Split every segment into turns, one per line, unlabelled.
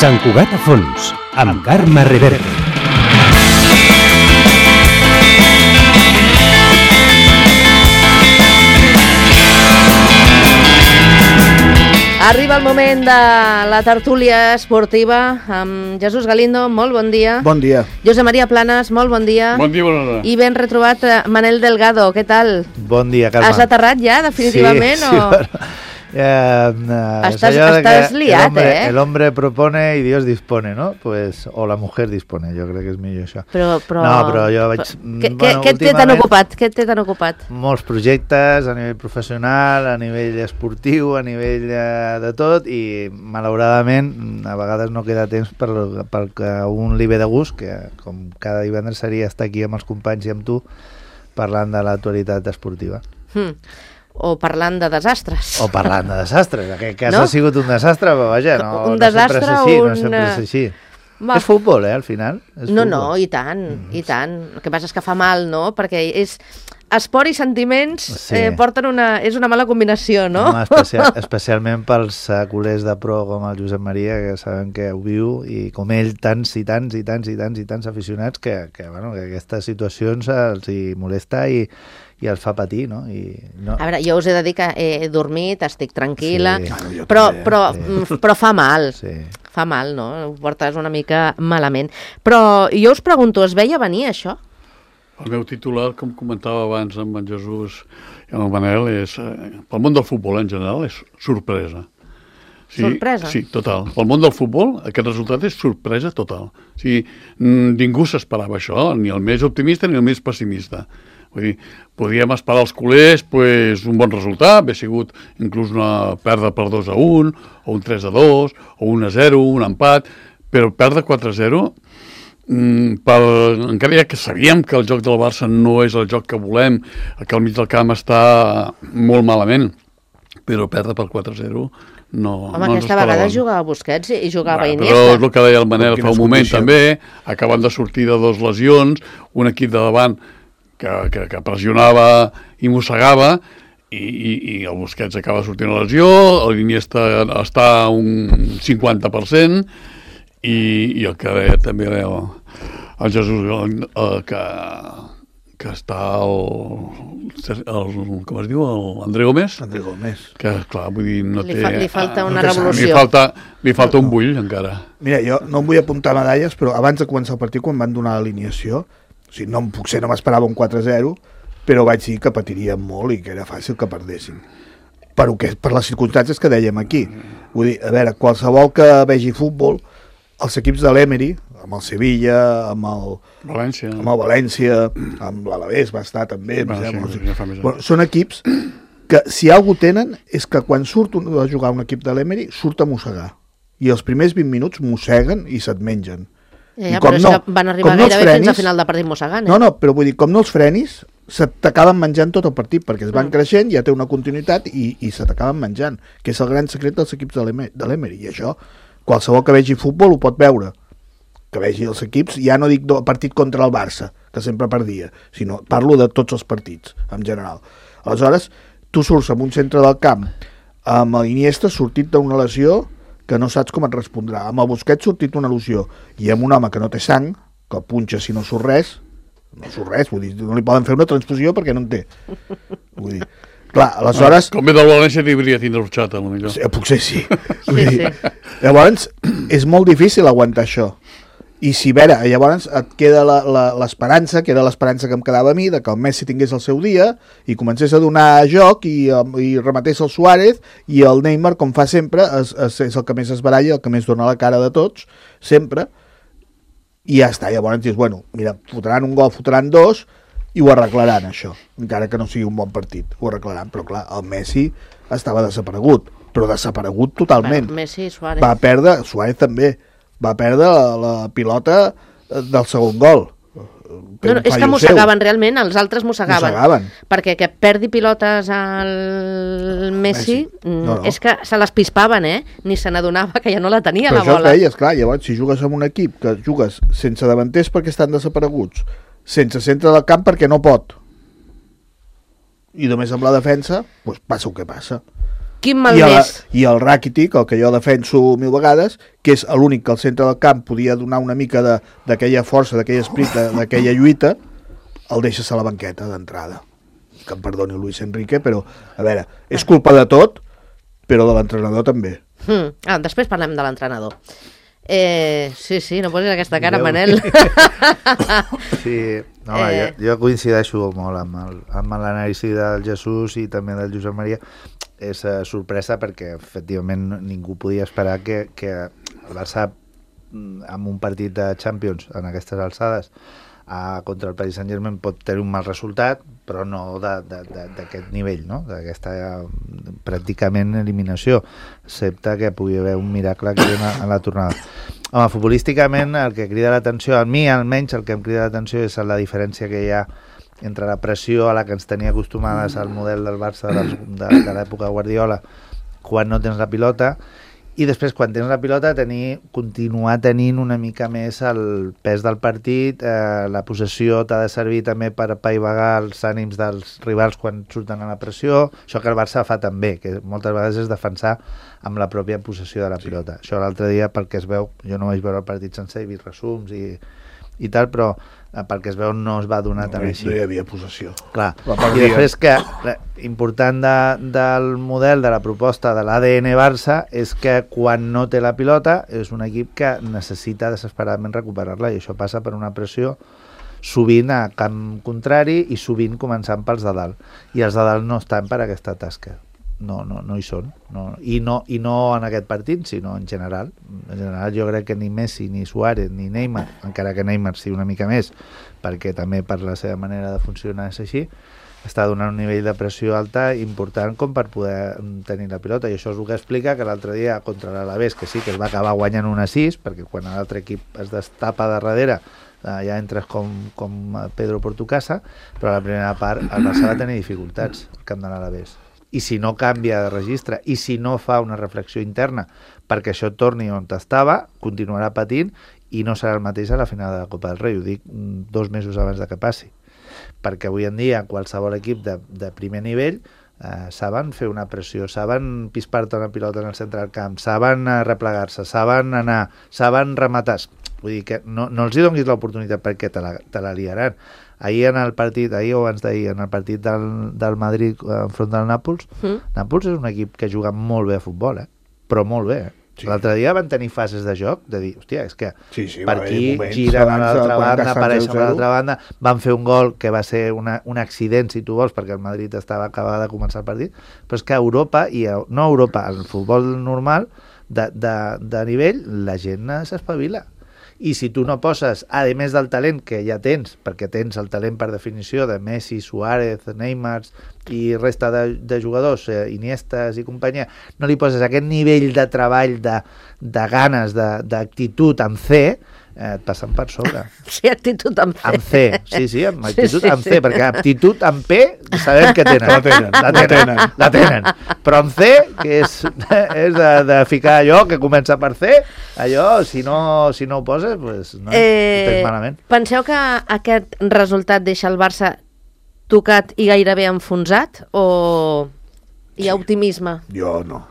Sant Cugat a fons, amb Carme Reverte.
Arriba el moment de la tertúlia esportiva amb Jesús Galindo, molt bon dia.
Bon dia.
Josep Maria Planas, molt bon dia.
Bon dia, bona hora.
I ben retrobat Manel Delgado, què tal?
Bon dia, Carme.
Has aterrat ja, definitivament?
Sí,
o...
Estàs
liat,
el hombre propone y Dios dispone, ¿no? Pues, o la mujer dispone, jo crec que és millor això.
Però...
No, però jo vaig...
Què t'he tan ocupat? Què t'he tan ocupat?
Molts projectes a nivell professional, a nivell esportiu, a nivell de tot, i malauradament a vegades no queda temps pel que un li ve de gust, que com cada divendres seria estar aquí amb els companys i amb tu parlant de l'actualitat esportiva.
O parlant de desastres.
O parlant de desastres. En aquest cas no? Ha sigut un desastre, però vaja, no
desastre,
no sempre és així. Va. És futbol, al final.
No, i tant, i tant. El que passa és que fa mal, no? Perquè és... Esport i sentiments porten és una mala combinació, no?
Especialment pels culers de pro com el Josep Maria, que saben que ho viu, i com ell, tants aficionats que aquestes situacions els hi molesta i els fa patir, no?
A veure, jo us he de dir que he dormit, estic tranquil·la, però fa mal. Sí. Fa mal, no? Ho portes una mica malament. Però jo us pregunto, es veia venir això?
El meu titular, com comentava abans amb en Jesús i amb en Manel, és, pel món del futbol en general, és sorpresa. Sí,
sorpresa?
Sí, total. Pel món del futbol, aquest resultat és sorpresa total. O sigui, ningú s'esperava això, ni el més optimista ni el més pessimista. Vull dir, podíem esperar als culers un bon resultat, haver sigut inclús una pèrdua per 2-1, o un 3-2, o 1-0, un empat, però perdre 4-0... encara ja que sabíem que el joc del Barça no és el joc que volem, que al mig del camp està molt malament, però perdre per 4-0 no...
Home, aquesta vegada jugava Busquets i jugava Iniesta.
Però és el que deia el Manel fa un moment també, acabant de sortir de 2 lesions, un equip de davant que pressionava i mossegava, i el Busquets acaba sortint a lesió, l'Iniesta està a un 50%, i el que deia també el Jesús que està com es diu, l'André Gómez, que clar, vull dir, no té...
Li falta una revolució.
Li falta un bull encara.
Mira, jo no em vull apuntar medalles, però abans de començar el partit, quan van donar l'alineació, o sigui, potser no m'esperava un 4-0, però vaig dir que patiríem molt i que era fàcil que perdessin. Per les circumstàncies que dèiem aquí. Vull dir, a veure, qualsevol que vegi futbol, els equips de l'Emery, amb el Sevilla, amb el València, amb l'Alavés va estar també, són equips que si alguna cosa tenen és que quan surt a jugar un equip de l'Emery surt a mossegar, i els primers 20 minuts mosseguen i se't mengen.
Però és que van arribar gairebé fins al final del partit mossegant.
No, però vull dir, com no els frenis, se t'acaben menjant tot el partit, perquè es van creixent, ja té una continuïtat i se t'acaben menjant, que és el gran secret dels equips de l'Emery, i això qualsevol que vegi futbol ho pot veure, que vegi els equips, ja no dic el partit contra el Barça, que sempre perdia, sinó parlo de tots els partits, en general. Aleshores, tu surts en un centre del camp amb l'Iniesta sortit d'una lesió que no saps com et respondrà, amb el Busquets sortit d'una lesió, i amb un home que no té sang, que punxa si no surt res, vull dir, no li poden fer una transfusió perquè no en té. Vull dir, clar, aleshores...
Com ve del València hauria tindre orxata, potser.
Sí, potser sí. Llavors, és molt difícil aguantar això. I si, llavors et queda l'esperança, que era l'esperança que em quedava a mi, de que el Messi tingués el seu dia i comencés a donar joc i rematés el Suárez, i el Neymar, com fa sempre, és el que més es baralla, el que més dona la cara de tots, sempre, i ja està. Llavors dius, bueno, mira, fotran un gol, fotran 2, i ho arreglaran, això, encara que no sigui un bon partit, ho arreglaran, però clar, el Messi estava desaparegut, però desaparegut totalment.
Messi i Suárez.
Va perdre, Suárez també, va perdre la pilota del segon gol.
No, és que mossegaven realment, els altres mossegaven. Perquè que perdi pilotes al Messi. És que se les pispaven, ni se n'adonava que ja no la tenia, la bola.
Però això feies, clar, llavors si jugues amb un equip que jugues sense davanters perquè estan desapareguts, sense centre del camp perquè no pot, i només amb la defensa, doncs passa el que passa.
Quin malmès.
I el Rakitic, el que jo defenso 1000 vegades, que és l'únic que al centre del camp podia donar una mica d'aquella força, d'aquell esprit, d'aquella lluita, el deixes a la banqueta d'entrada. Que em perdoni Luis Enrique, però, a veure, és culpa de tot, però de l'entrenador també.
Després parlem de l'entrenador. Sí, no posis aquesta cara, Manel.
Sí, no, jo coincideixo molt amb l'anàlisi del Jesús i també del Josep Maria. És sorpresa perquè efectivament ningú podia esperar que el Barça amb un partit de Champions en aquestes alçades contra el Paris Saint-Germain pot tenir un mal resultat, però no d'aquest nivell, no? D'aquesta pràcticament eliminació, excepte que pugui haver un miracle aquí en la tornada. Home, futbolísticament el que crida l'atenció, a mi almenys el que em crida l'atenció és la diferència que hi ha entre la pressió a la que ens tenia acostumades al model del Barça de l'època Guardiola quan no tens la pilota, i després quan tens la pilota continuar tenint una mica més el pes del partit, la possessió t'ha de servir també per apaivagar els ànims dels rivals quan surten a la pressió, això que el Barça fa també, que moltes vegades és defensar amb la pròpia possessió de la pilota. Això l'altre dia, pel que es veu, jo no vaig veure el partit sencer, he vist resums i tal, però pel que es veu no es va donar tan així.
No hi havia possessió.
Clar. I després que important del model, de la proposta de l'ADN Barça és que quan no té la pilota és un equip que necessita desesperadament recuperar-la, i això passa per una pressió sovint a camp contrari i sovint començant pels de dalt, i els de dalt no estan per aquesta tasca. No hi són, I no en aquest partit, sinó en general. En general jo crec que ni Messi, ni Suárez, ni Neymar, encara que Neymar sí una mica més, perquè també per la seva manera de funcionar és així, està donant un nivell de pressió alta important com per poder tenir la pilota, i això és el que explica que l'altre dia contra l'Alavés, que sí que es va acabar guanyant 1-6, perquè quan l'altre equip es destapa de darrere ja entres com Pedro por tu casa, però a la primera part el Barça va tenir dificultats al camp de l'Alavés. I si no canvia de registre, i si no fa una reflexió interna perquè això torni on estava, continuarà patint i no serà el mateix a la final de la Copa del Rei. Ho dic 2 mesos abans de que passi. Perquè avui en dia qualsevol equip de primer nivell saben fer una pressió, saben pispar-te una pilota en el centre del camp, saben replegar-se, saben anar, saben rematar. Vull dir que no els hi donis l'oportunitat perquè te la liaran. Ahir o abans d'ahir, en el partit del Madrid enfront del Nàpols, Nàpols és un equip que juga molt bé a futbol, però molt bé. Sí. L'altre dia van tenir fases de joc, de dir, hòstia, és que per aquí giren a l'altra banda, apareixen a l'altra banda, van fer un gol que va ser un accident, si tu vols, perquè el Madrid estava acabada de començar el partit, però és que a Europa, no a Europa, al futbol normal, de nivell, la gent s'espavila. I si tu no poses, a més del talent que ja tens, perquè tens el talent per definició de Messi, Suárez, Neymar i resta de jugadors, Iniestas i companyia, no li poses aquest nivell de treball, de ganes, d'actitud amb C, et passen per sobre.
Sí, actitud amb C.
Amb C, sí, amb actitud amb C, perquè aptitud amb P sabem que tenen. La tenen. Però amb C, que és de ficar allò que comença per C, allò, si no ho poses, pues, no, ho tens malament.
Penseu que aquest resultat deixa el Barça tocat i gairebé enfonsat, o hi ha optimisme?
Jo no.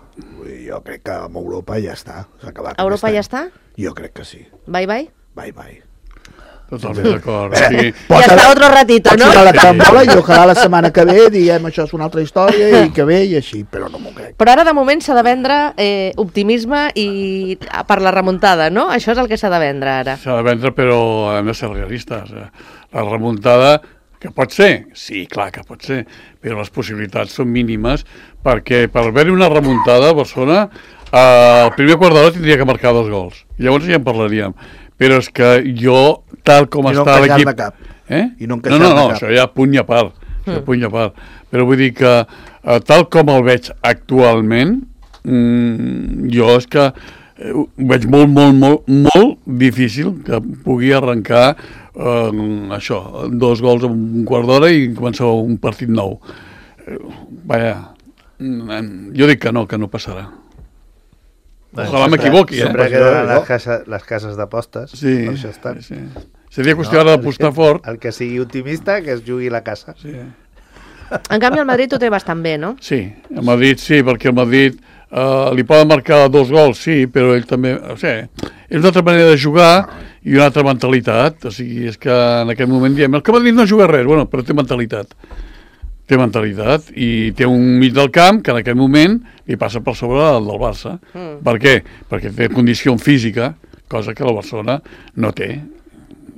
Jo crec que amb Europa ja està. S'ha acabat.
Europa ja està?
Jo crec que sí.
Bye.
Totalment d'acord. Sí.
Ja està otro ratito, no?
Pot ser la i ojalà la setmana que ve diem això és una altra història i que ve i així, però no m'ho crec.
Però ara de moment s'ha de vendre optimisme i per la remuntada, no? Això és el que s'ha de vendre ara.
S'ha de vendre, però hem de ser realistes. La remuntada, que pot ser? Sí, clar que pot ser, però les possibilitats són mínimes perquè per haver-hi una remuntada a Barcelona el primer quart d'hora tindria que marcar 2 gols. Llavors ja en parlaríem. Però és que jo, tal com està l'equip...
I no encaixar de cap.
No, això ja punt i a part. Però vull dir que tal com el veig actualment, jo és que ho veig molt difícil que pugui arrencar això, 2 gols en un quart d'hora i començar un partit nou. Jo dic que no passarà. Ojalà m'equivoqui.
Sempre queden les cases d'apostes.
Sí,
per això estan.
Seria qüestió ara d'apostar fort.
El que sigui optimista, que es jugui la casa.
Sí.
En canvi, el Madrid ho té bastant bé, no?
Sí, el Madrid sí, perquè el Madrid li poden marcar 2 gols, sí, però ell també... O sigui, és una altra manera de jugar i una altra mentalitat. O sigui, és que en aquest moment diem el que Madrid no juga res, bueno, però té mentalitat. Té mentalitat i té un mig del camp que en aquest moment li passa per sobre del Barça. Per què? Perquè té condició física, cosa que el Barcelona no té.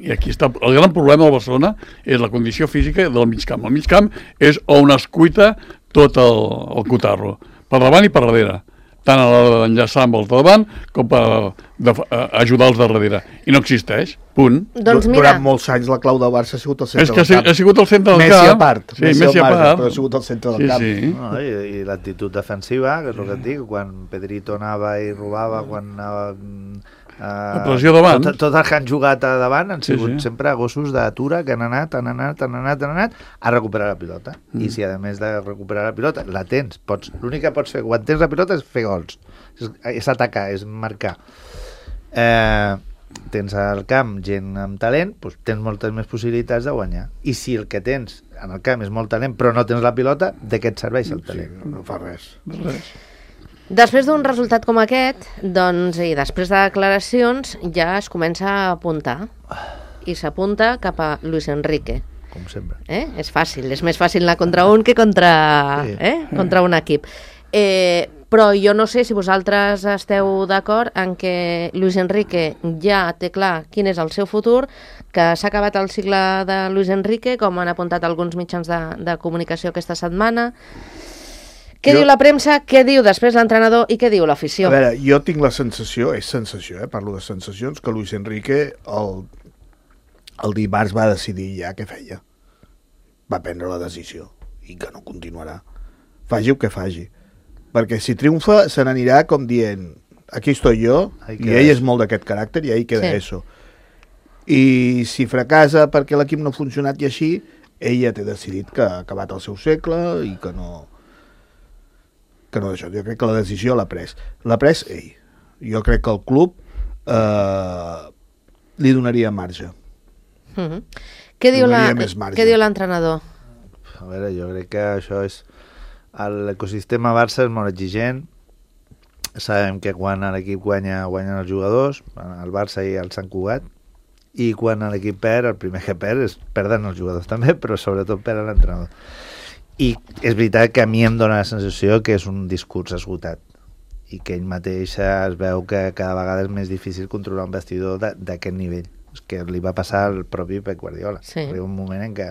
I aquí està el gran problema del Barcelona, és la condició física del mig camp. El mig camp és on es cuita tot el cotarro, per davant i per darrere, tant a l'hora d'enllaçar amb els de davant com per ajudar els de darrere. I no existeix, punt.
Doncs mira...
Durant molts anys la clau del Barça ha sigut el centre del camp.
Ha sigut el centre del camp.
Messi a part,
sí, Messi a part.
però ha sigut el centre del camp.
Sí.
No, i l'actitud defensiva, que és el que et dic, quan Pedrito anava i robava, quan anava...
la pressió davant.
Tots els que han jugat a davant han sigut sempre gossos d'atura que han anat a recuperar la pilota. I si a més de recuperar la pilota la tens, l'únic que pots fer quan tens la pilota és fer gols, és atacar, és marcar. Tens al camp gent amb talent, doncs tens moltes més possibilitats de guanyar. I si el que tens en el camp és molt talent però no tens la pilota, de què et serveix el talent?
Sí, no fa res.
Després d'un resultat com aquest, doncs, i després de declaracions, ja es comença a apuntar. I s'apunta cap a Luis Enrique.
Com sempre.
És fàcil, és més fàcil anar contra un que contra un equip. Però jo no sé si vosaltres esteu d'acord en que Luis Enrique ja té clar quin és el seu futur, que s'ha acabat el cicle de Luis Enrique, com han apuntat alguns mitjans de comunicació aquesta setmana. Què diu la premsa, què diu després l'entrenador i què diu l'afició?
A veure, jo tinc la sensació, és sensació, parlo de sensacions, que Luis Enrique el dimarts va decidir ja què feia. Va prendre la decisió i que no continuarà. Faci el que faci. Perquè si triomfa se n'anirà com dient aquí estoy yo, i ell és molt d'aquest caràcter i ahí queda eso. I si fracassa perquè l'equip no ha funcionat i així, ell ja té decidit que ha acabat el seu segle i que no d'això. Jo crec que la decisió l'ha pres. L'ha pres ell. Jo crec que el club li donaria marge.
Què diu l'entrenador?
A veure, jo crec que això és... L'ecosistema Barça és molt exigent. Sabem que quan l'equip guanyen els jugadors, el Barça i el Sant Cugat, i quan l'equip perd, el primer que perd és perden els jugadors també, però sobretot perd l'entrenador. I és veritat que a mi em dóna la sensació que és un discurs esgotat i que ell mateix es veu que cada vegada és més difícil controlar un vestidor d'aquest nivell. És que li va passar al propi Pep Guardiola. Arriba un moment en què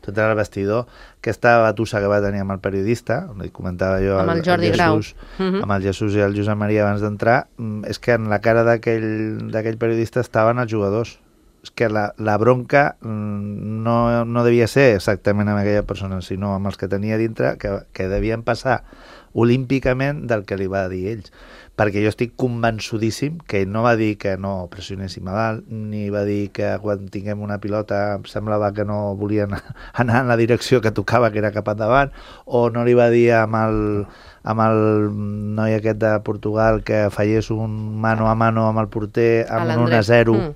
tot era el vestidor, aquesta batussa que va tenir amb el periodista, li comentava jo
amb el Jordi Grau,
amb el Jesús i el Josep Maria abans d'entrar, és que en la cara d'aquell periodista estaven els jugadors. És que la bronca no devia ser exactament amb aquella persona, sinó amb els que tenia dintre, que devien passar olímpicament del que li va dir ells. Perquè jo estic convençudíssim que ell no va dir que no pressionéssim a dalt, ni va dir que quan tinguem una pilota em semblava que no volien anar en la direcció que tocava, que era cap endavant, o no li va dir amb el noi aquest de Portugal que fallés un mano a mano amb el porter amb un 1-0,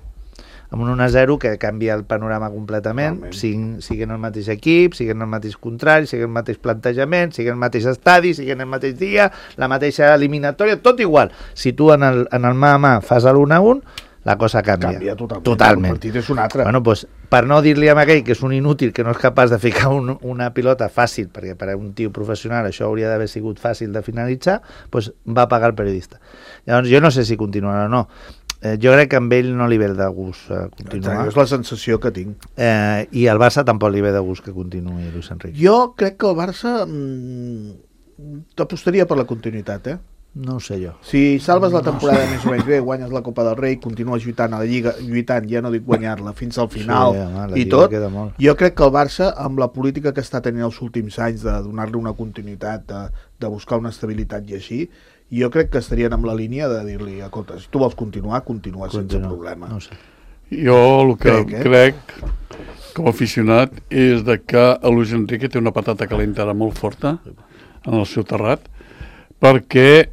amb un 1-0 que canvia el panorama completament, siguin el mateix equip, siguin el mateix contrari, siguin el mateix plantejament, siguin el mateix estadi, siguin el mateix dia, la mateixa eliminatòria, tot igual. Si tu en el mà a mà fas l'1-1, la cosa canvia.
Canvia totalment. El partit és un altre.
Bueno, doncs, per no dir-li a aquell que és un inútil, que no és capaç de ficar una pilota fàcil, perquè per a un tio professional això hauria d'haver sigut fàcil de finalitzar, doncs va pagar el periodista. Llavors, jo no sé si continuarà o no. Jo crec que amb ell no li ve de gust continuar.
És la sensació que tinc.
I al Barça tampoc li ve de gust que continuï Luis Enrique.
Jo crec que el Barça t'apostaria per la continuïtat,
No ho sé jo.
Si salves la temporada més o menys bé, guanyes la Copa del Rei, continues lluitant a la Lliga, ja no dic guanyar-la, fins al final i tot, jo crec que el Barça, amb la política que està tenint els últims anys de donar-li una continuïtat, de buscar una estabilitat i així, jo crec que estarien amb la línia de dir-li, escolta, si tu vols continuar sense problema.
No sé.
Jo el que crec com a aficionat és de que el Luis Enrique té una patata calenta ara molt forta en el seu terrat, perquè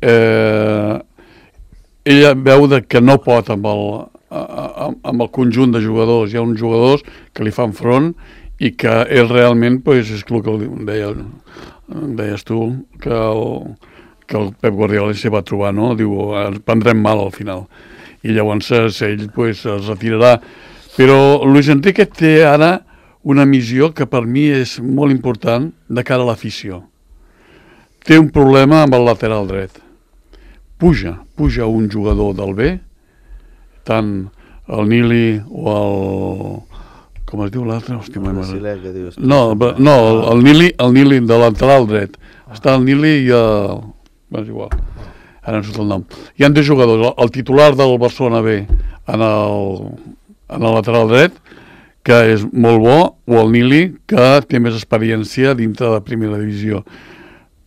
ella veu que no pot amb el conjunt de jugadors. Hi ha uns jugadors que li fan front i que ell realment, és el que deies tu, que el Pep Guardiola s'hi va trobar, no? Diu, prendrem mal al final. I llavors ell es retirarà. Però Luis Enrique té ara una missió que per mi és molt important de cara a l'afició. Té un problema amb el lateral dret. Puja un jugador del B, tant el Nili o el... Com es diu l'altre? No, el Nili de lateral dret. Està el Nili i el... És igual, ara no surt el nom. Hi ha dos jugadors, el titular del Barcelona B en el lateral dret, que és molt bo, o el Nili, que té més experiència dintre de primera divisió.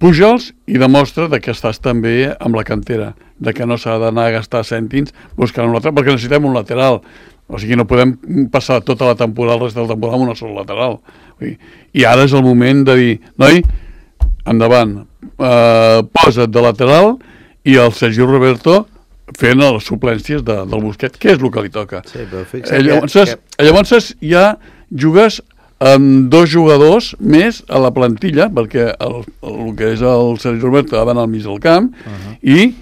Puja'ls i demostra que estàs també amb la cantera, que no s'ha d'anar a gastar cèntims buscant un lateral, perquè necessitem un lateral. O sigui, no podem passar tota la temporada, el rest de la temporada, amb una sola lateral. I ara és el moment de dir, noi, endavant, posa't de lateral i el Sergio Roberto fent les suplències del Busquets, que és el que li toca.
Sí, però fixa't
llavors ja jugues amb dos jugadors més a la plantilla, perquè el que és el Sergio Roberto ha d'anar al mig del camp i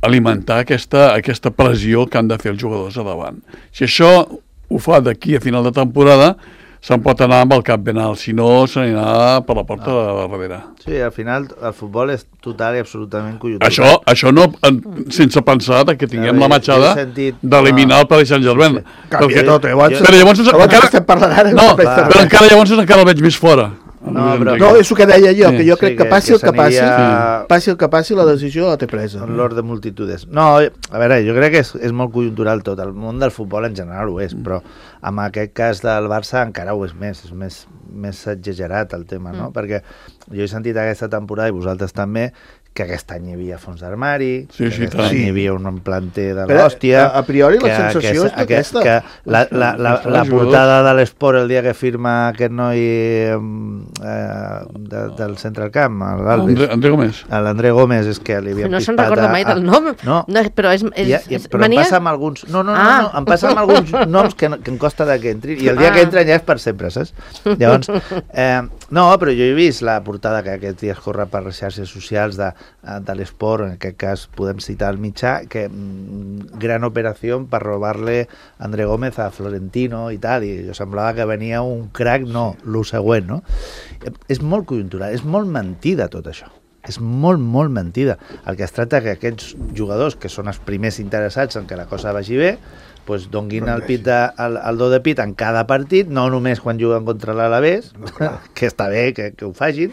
alimentar aquesta pressió que han de fer els jugadors a davant. Si això ho fa d'aquí a final de temporada, se'n pot anar amb el cap ben alt, si no se n'anirà per la porta de darrere.
Sí, al final el futbol és total i absolutament conjuntural.
Això no, sense pensar que tinguem la matxada d'eliminar el Paris Saint-Germain.
Canvia tot,
però llavors
estem parlant ara.
No, però encara llavors el veig més fora.
No, és el que deia jo, que jo crec que passi el que passi, la decisió la té presa.
L'or de multitudes. No, a veure, jo crec que és molt conjuntural tot. El món del futbol en general ho és, però en aquest cas del Barça encara ho és més exagerat el tema, no? Perquè jo he sentit aquesta temporada, i vosaltres també, que aquest any hi havia fons d'armari, que aquest any hi havia un planter de l'hòstia...
A priori la sensació és aquesta.
Que la portada de l'Esport el dia que firma aquest noi del centre del camp,
André Gómez.
L'André Gómez, és que li havien
no se'n recorda mai del nom.
No,
però és
però em passa amb alguns... No, em passa amb alguns noms que em costa que entrin, i el dia que entren ja és per sempre, saps? Llavors, no, però jo he vist la portada que aquests dies corre per les xarxes socials de l'Esport, en aquest cas podem citar el mitjà, que gran operació per robar-le André Gómez a Florentino i tal, i jo semblava que venia un crack, no, lo següent, no? És molt conjuntural, és molt mentida tot això. És molt mentida. El que es tracta que aquests jugadors, que són els primers interessats en que la cosa vagi bé, pues donguin el do de pit en cada partit, no només quan juguen contra l'Alavés, que està bé que ho facin,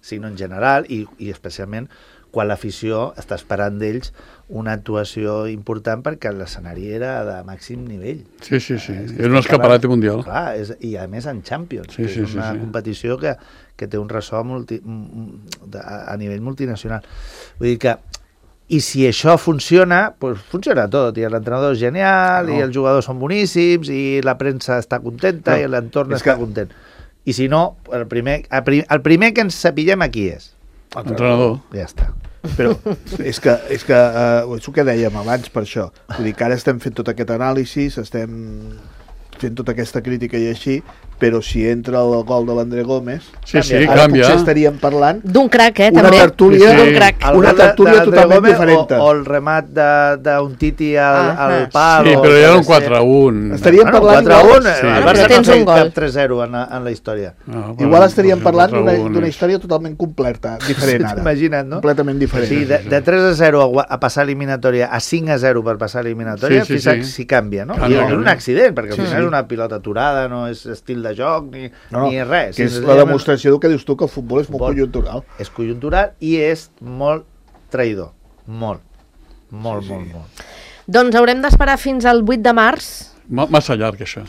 sinó en general, i especialment quan l'afició està esperant d'ells una actuació important, perquè l'escenari era de màxim nivell.
Sí. Era un escaparate mundial.
Clar, i a més en Champions, que és una competició que té un ressò a nivell multinacional. Vull dir que, i si això funciona, pues funciona tot, i l'entrenador és genial, i els jugadors són boníssims, i la premsa està contenta, i l'entorn està content. I si no, el primer que ens sapiguem aquí és
l'entrenador.
Ja està.
Però és que és el que dèiem abans, per això. Vull dir que ara estem fent tot aquest anàlisi, estem fent tota aquesta crítica i així, però si entra el gol de l'André Gómez,
canvia.
Potser estaríem parlant
d'un crack,
una
també.
tertúlia,
d'un crack.
Una tertúlia totalment diferent.
O el remat d'un Titi al pal.
Sí, però ja era un 4-1.
Estaríem parlant
4-1.
Sí.
El Barça no feia cap 3-0 en la història.
Igual estaríem parlant d'una història totalment completa, diferent ara.
Imagina't, no?
Completament diferent.
Sí, de 3-0 a passar eliminatòria a 5-0 per passar eliminatòria, si canvia, no? I és un accident, perquè al final és una pilota aturada, no és estil de joc, ni res.
Que és la demostració que dius tu, que el futbol és molt conjuntural.
És conjuntural i és molt traïdor. Molt.
Doncs haurem d'esperar fins al 8 de març.
Massa llarg, això.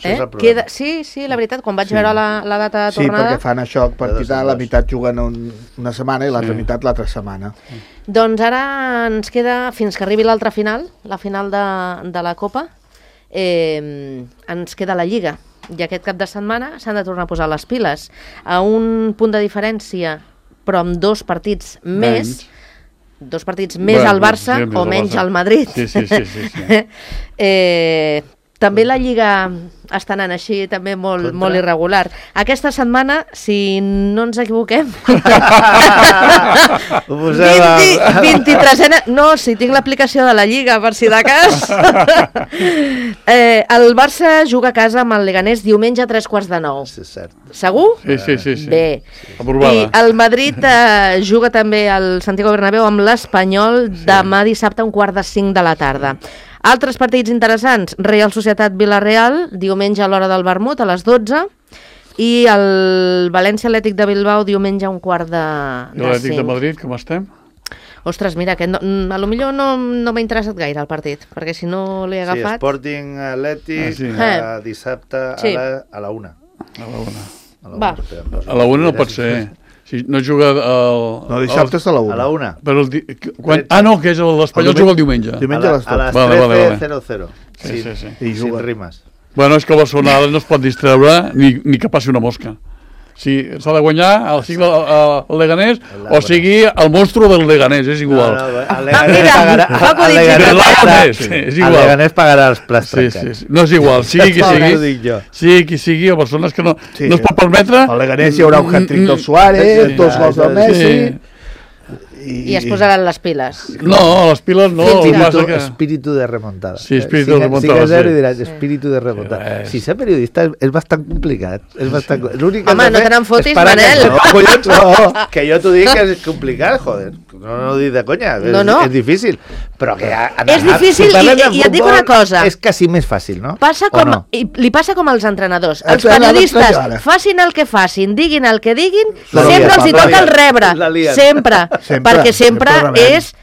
Sí, la veritat, quan vaig veure la data de tornada...
Sí, perquè fan això, per quitar la meitat juguen una setmana i l'altra meitat l'altra setmana.
Doncs ara ens queda, fins que arribi l'altra final, la final de la Copa, ens queda la Lliga. I aquest cap de setmana s'han de tornar a posar les piles. A un punt de diferència, però amb dos partits més al Barça o menys al Madrid.
Sí.
També la Lliga està anant així, també molt irregular. Aquesta setmana, si no ens equivoquem... 23ena... No, si tinc l'aplicació de la Lliga, per si de cas. El Barça juga a casa amb el Leganés diumenge a 8:45.
Sí, és cert.
Segur?
Sí.
Bé.
Aprovada.
I el Madrid juga també al Santiago Bernabéu amb l'Espanyol demà dissabte a 4:45 de la tarda. Altres partits interessants, Real Societat-Villarreal, diumenge a l'hora del vermut, a les 12, i el València Atlètic de Bilbao, diumenge a 4:45.
I l'Atlètic de Madrid, com estem?
Ostres, mira, que a lo millor no m'ha interessat gaire el partit, perquè si no l'he agafat...
Sí, Sporting Atlètic, dissabte a la 1.
Va.
A la 1 no pot ser. Si no juga
No, dissabte és a la 1.
A la 1.
No, que és l'Espanyol juga el diumenge.
Diumenge a les 12.
A les 13:00.
Sí.
Sin rimes.
Bueno, és que el Barcelona no es pot distreure ni que passi una mosca. Si s'ha de guanyar el Leganés o sigui el monstru del Leganés, és igual.
El Leganés pagarà els plats trencats.
No és igual, sigui qui sigui, el Barcelona és que no es pot permetre...
Al Leganés hi haurà un hat-trick del Suárez, 2 gols del Messi...
I es posaran les piles.
No, les piles no.
Espíritu de remontada.
Sí, espíritu de remontada.
Si que diràs, espíritu de remontada. Si ser periodista és bastant complicat.
Home, no te n'en fotis, Manel.
Que jo t'ho dic que és complicat, joder. No ho dic de conya, és difícil. Però que...
És difícil i et dic una cosa.
És quasi més fàcil, no?
Li passa com als entrenadors. Els periodistes facin el que facin, diguin el que diguin, sempre els hi toca el rebre. Sempre. Perquè sempre és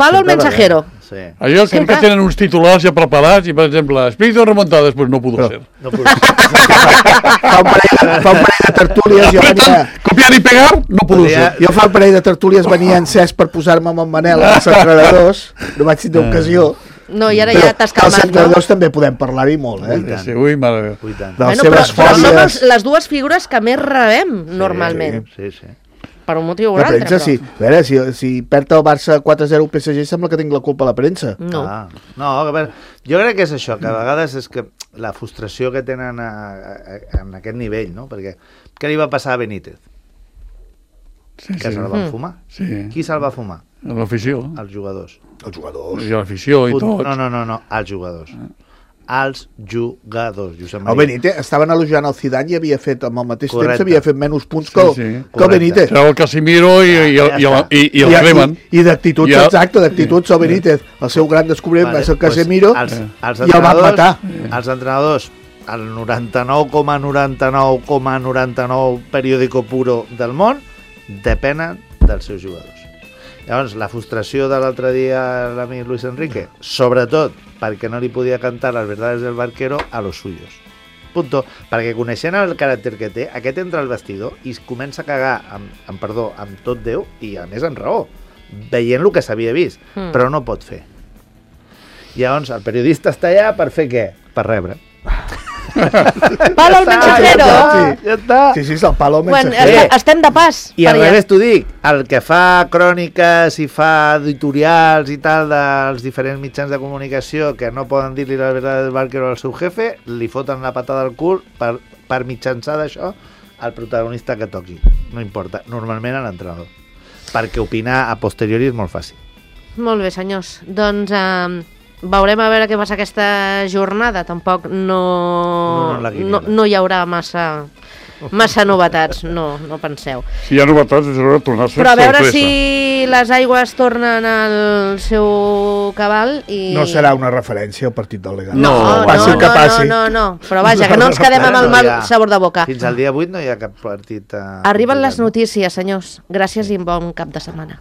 palo al mensajero.
Allò crec que tenen uns titulars ja preparats i, per exemple, espíritu de remontada, després no pudo ser.
Fa un parell de tertúlies...
Copiar i pegar, no pudo ser.
Jo fa un parell de tertúlies venia encès per posar-me amb en Manel als entrenadors, no vaig tindre ocasió.
No, i ara ja t'has calmat, no?
Els entrenadors també podem parlar-hi molt,
Ui, mare meva.
De les seves fòbies...
Però som les dues figures que més rebem, normalment.
Sí.
Per un motiu o un
altre.
altre,
sí. A veure, si perd el Barça 4-0 al PSG sembla que tinc la culpa a la premsa.
No.
No, jo crec que és això, que a vegades és que la frustració que tenen en aquest nivell, no? Perquè què li va passar a Benítez? Que se'l van fumar. Qui se'l va fumar?
L'afició.
Els jugadors.
I l'afició i tots.
No, els jugadors. Els jugadors.
El Benítez, estaven elogiant el Zidane i havia fet, amb el mateix temps, havia fet menys punts que el Benítez.
Treu el Casimiro i el Griezmann.
I d'actituds, exacte, d'actituds el Benítez. El seu gran descobriment va ser el Casemiro i el van matar.
Els entrenadors, el 99,99,99 periòdico puro del món, depenen dels seus jugadors. Llavors, la frustració de l'altre dia l'amic Luis Enrique, sobretot perquè no li podia cantar les verdades del barquero a los suyos. Punto. Perquè coneixent el caràcter que té, aquest entra al vestidor i es comença a cagar, amb tot Déu, i a més amb raó, veient el que s'havia vist, però no pot fer. Llavors, el periodista està allà per fer què? Per rebre.
Palo al mensajero.
Ja està.
Sí, és el palo al mensajero.
Estem de pas.
I al revés t'ho dic, el que fa cròniques i fa editorials i tal dels diferents mitjans de comunicació que no poden dir-li la veritat del barquero al seu jefe, li foten la patada al cul per mitjançar d'això al protagonista que toqui. No importa, normalment a l'entrenador. Perquè opinar a posteriori és molt fàcil.
Molt bé, senyors. Doncs... veurem a veure què passa aquesta jornada. Tampoc no hi haurà massa novetats, no penseu.
Si hi ha novetats, és hora de tornar a ser
sorpresa. Però a veure si les aigües tornen al seu cabal i...
No serà una referència al partit del Leganés.
No. Però vaja, que no ens quedem amb el mal sabor de boca.
Fins al dia 8 no hi ha cap partit...
Arriben les notícies, senyors. Gràcies i bon cap de setmana.